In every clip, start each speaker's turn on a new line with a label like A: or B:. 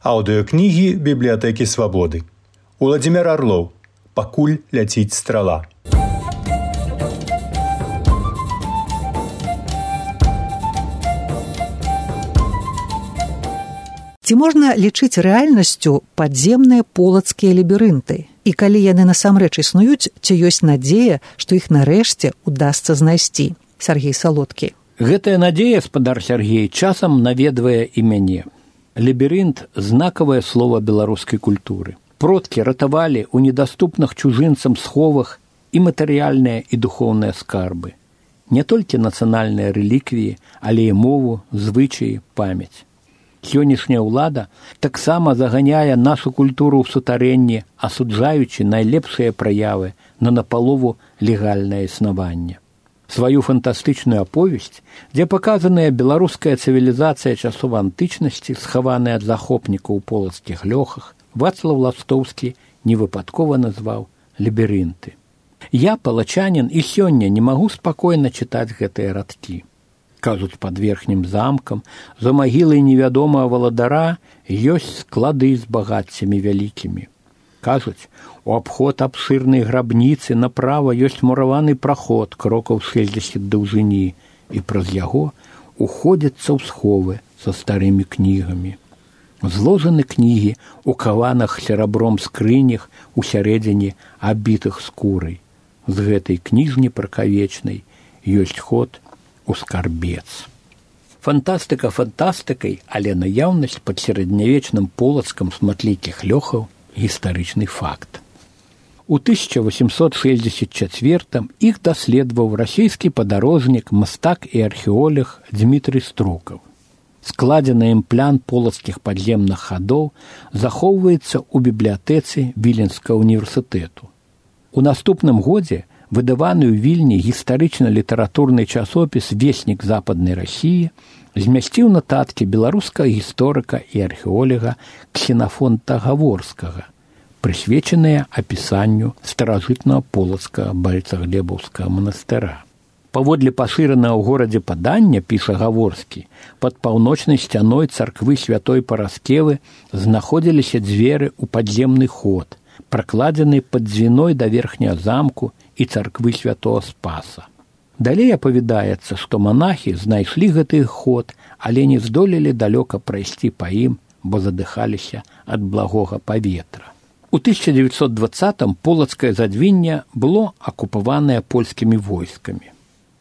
A: Аўдыёкнігі бібліятэкі свабоды. Уладзімир Орлоў. Пакуль ляціць страла.
B: Ці можна лічыць рэальнасцю падземныя полацкія лабірынты? І калі яны насамрэч існуюць, ці ёсць надзея, што іх нарэшце удасца знайсці? Сергей Салодкі.
C: Гэтая надзея, спадар Сергей, часам наведвае і мяне. Лабірынт – знакавае слова беларускай культуры. Продкі ратавалі ў недаступных чужынцам сховах і матэрыяльныя і духоўныя скарбы. Не толькі нацыянальныя рэліквіі, але і мову, звычаі, памяць. Сённяшняя ўлада таксама заганяе нашу культуру ў сутарэнне, асуджаючы найлепшыя праявы на напалову легальнае існаванне. Сваю фантастычную аповесць, дзе паказаная беларуская цывілізацыя часоў антычнасці, схаваная ад захопнікаў у полацкіх лёхах, Вацлаў Ластоўскі невыпадкова назваў лабірынты. Я, палачанін, і сёння не магу спакойна чытаць гэтыя радкі. Кажуць, пад верхнім замкам, за магілай невядомага валадара ёсць склады з багаццямі вялікімі. Кажуць, у абход абшырнай грабніцы направа ёсць мураваны праход крокаў 60 даўжыні, і праз яго уходзяцца ў сховы са старымі кнігамі. Зложаны кнігі ў каванах серабром скрынях усярэдзіне абітых скурай. З гэтай кніжні пракавечнай ёсць ход у скарбец. Фантастыка фантастыкай, але наяўнасць пад сярэднявечным полацкам шматлікіх лёхаў гістарычны факт. У 1864 іх даследаваў расійскі падарожнік, мастак і археолог Дмітрый Струкаў. Складзены ім план полацкіх падземных хадоў захоўваецца ў бібліятэцы Віленскага універсітэту. У наступным годзе выдаваны ў Вільні гістарычна-літаратурны часопіс «Веснік западнай Расіі» змясціў нататкі беларускага гісторыка і археолага Ксенафонта Гаворскага, прысвечаныя апісанню старажытнага полацкага Байцаглебаўскага манастыра. Паводле пашыранага ў горадзе падання, піша Гаворскі, пад паўночнай сцяной царквы святой Параскевы знаходзіліся дзверы ў падземны ход, пракладзены пад дзвіной да верхняга замку і царквы святого Спаса. Далей апавядаецца, што манахі знайшлі гэты ход, але не здолелі далёка прайсці па ім, бо задыхаліся ад благога паветра. У 1920-м полацкае задвінне было акупаванае польскімі войскамі.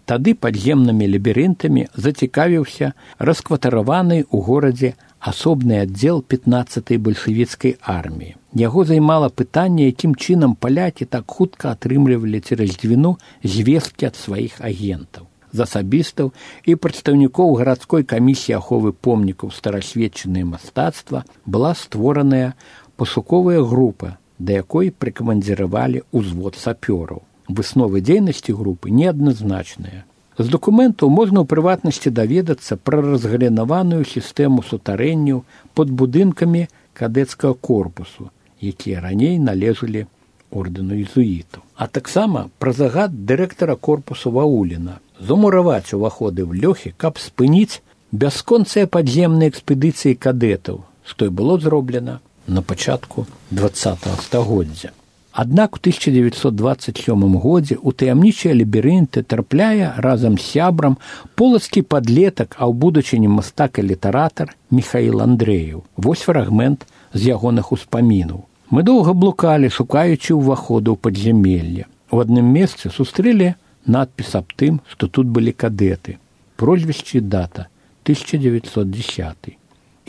C: Тады падземнымі лабірынтамі зацікавіўся раскватараваны ў горадзе асобны аддзел 15-й бальшавіцкай арміі. Яго займала пытанне, якім чынам палякі так хутка атрымлівалі цераз дзвіну звесткі ад сваіх агентаў. З асабістаў і прадстаўнікоў гарадской камісіі аховы помнікаў старасветчынае мастацтва была створаная пошуковая група, да якой прыкамандзіравалі ўзвод сапёраў. Высновы дзейнасці групы неадназначныя. З дакументаў можна ў прыватнасці даведацца пра разгалінаваную сістэму сутарэнняў пад будынкамі кадэцкага корпусу, якія раней належалі ордэну езуітаў. А таксама пра загад дырэктара корпусу Вауліна замураваць уваходы ў лёхі, каб спыніць бясконцыя падземныя экспедыцыі кадэтаў, што і было зроблена на пачатку 20-го стагоддзя. Аднак у 1927 годзе ў таямнічыя лабірынты трапляе разам з сябрам полацкі падлетак, а ў будучыні мастак і літаратар Міхаіл Андрэеў. Вось фрагмент з ягоных успамінаў. Мы доўга блукалі, шукаючы ўваходу ў падзямелле. У адным месцы сустрэлі надпіс аб тым, што тут былі кадэты. Прозвішча і дата 1910.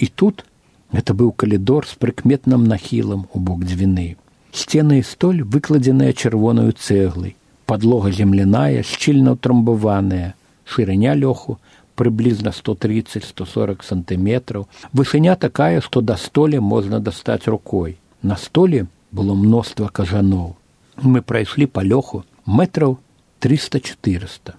C: І тут гэта быў калідор з прыкметным нахілам у бок дзвіны. Сцены і столь выкладзеныя чырвонаю цэглай, падлога земляная, шчыльна ўтрамбаваная, шырыня лёху прыблізна 130-140 сантыметраў, вышыня такая, што да столі можна дастаць рукой. На столі было мноства кажаноў. Мы прайшлі па лёху метраў 300-400.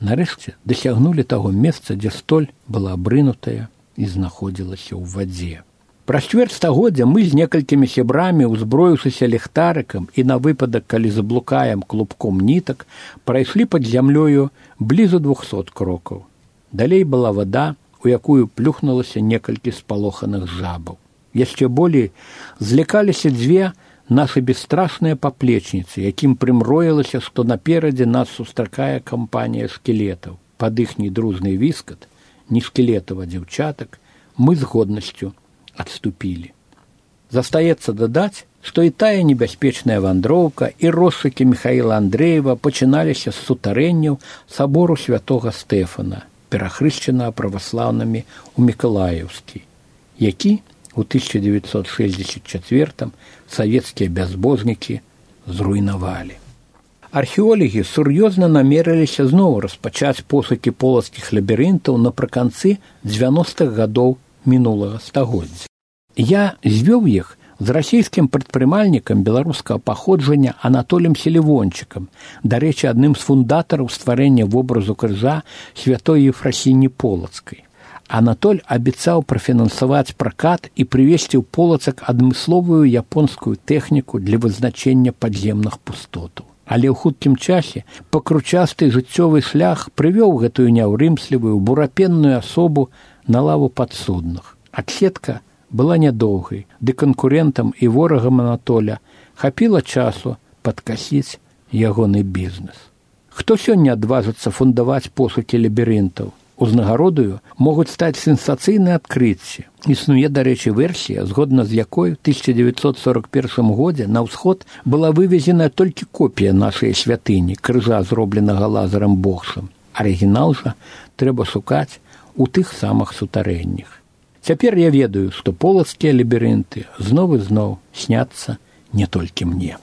C: Нарэшце дасягнулі таго месца, дзе столь была абрынутая і знаходзілася ў вадзе. Праз чвэрць стагоддзя мы з некалькімі сябрамі, узброіўшыся ліхтарыкам і на выпадак, калі заблукаем клубком нітак, прайшлі пад зямлёю блізу 200 крокаў. Далей была вада, у якую плюхнулася некалькі спалоханых жабаў. Яшчэ болей злякаліся дзве нашы бесстрашныя паплечніцы, якім прымроілася, што наперадзе нас сустракае кампанія скелетаў. Пад іхні дружны віскат, не скелетаў, а дзяўчатак, мы з годнасцю адступілі. Застаецца дадаць, што і тая небяспечная вандроўка і розшукі Міхаіла Андрэева пачыналіся з сутарэнняў сабору святога Стэфана, перахрышчанага праваслаўнымі ў Мікалаеўскі, які у 1964 савецкія бязбожнікі зруйнавалі. Археолагі сур'ёзна намерыліся зноў распачаць пошукі полацкіх лабірынтаў напрыканцы 90-х гадоў мінулага стагоддзя. Я звёў іх з расійскім прадпрымальнікам беларускага паходжання Анатолем Селівончыкам, дарэчы, адным з фундатараў стварэння вобразу крыжа святой Ефрасіні Полацкай. Анатоль абяцаў прафінансаваць пракат і прывезці ў Полацак адмысловую японскую тэхніку для вызначэння падземных пустотаў. Але ў хуткім часе пакручасты жыццёвы шлях прывёў гэтую няўрымслівую бурапенную асобу на лаву падсудных. Адседка была нядоўгай, ды канкурэнтам і ворагам Анатоля хапіла часу падкасіць ягоны бізнес. Хто сёння адважыцца фундаваць пошукі лабірынтаў? Узнагародаю могуць стаць сенсацыйныя адкрыцці. Існуе, дарэчы, версія, згодна з якой у 1941 годзе на ўсход была вывезена толькі копія нашай святыні, крыжа, зробленага Лазарам Богшам. Арыгінал жа трэба шукаць у тых самых сутарэннях. Цяпер я ведаю, што полацкія лабірынты зноў і зноў сняцца не толькі мне.